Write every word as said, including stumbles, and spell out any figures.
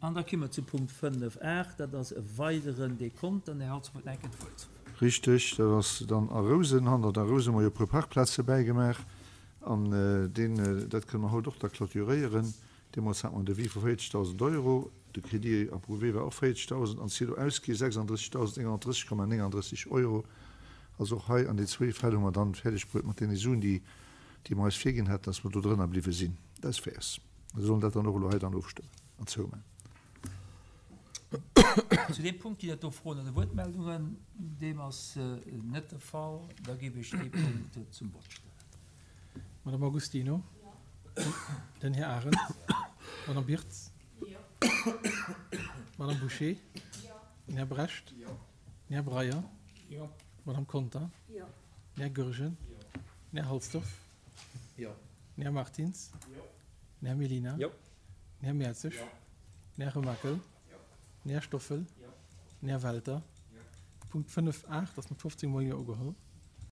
An da komme mer zu Punkt fënnef aacht, dat ass e weideren Dekont. An Här Halsdorf huet nach eng Kéier d'Wuert. Richteg, dat ass dann a Rousen. Hannert a Rousen hu mer jo e puer Parkplaze bäigemaach. An deen, dat kënne mer haut och da clôturéieren. Deemools hat mer en Devis vu véierzegdausend Euro. De Crédit approuvé war och véierzegdausend an d'Silo ausgi sechsanddrëssigdausend nénghannertdrësseg Komma néngandrësseg Euro. Also och hei an déi zwee Fäll hu mer dann fäerdeg bruet mat deene Suen, déi, déi mer eis virginn haten, dass mer do drënner bliwwe sinn. Dat ass fair. Mir sollen dat dann och elo hei dann ofstëmmen an zoumaachen. Zu deem Punkt ginn et do Froen oder Wuertmeldungen? Deem ass net de Fall. Da géif ech dee Punkt zum Vott stellen. Madame Agostino. Den Här Arendt. Madame Birtz. Madame Bouché. Den Här Brecht. Den Här Breyer. Madame Conter. Den Här Goergen. Den Här Halsdorf. Den Här Martins. Den Här Mellina. Den Här Mertzig. Den Här Remakel. Den Här Stoffel. Den Här Welter. Punkt fënnef aacht ass mat fofzéng Mol Jo ugeholl.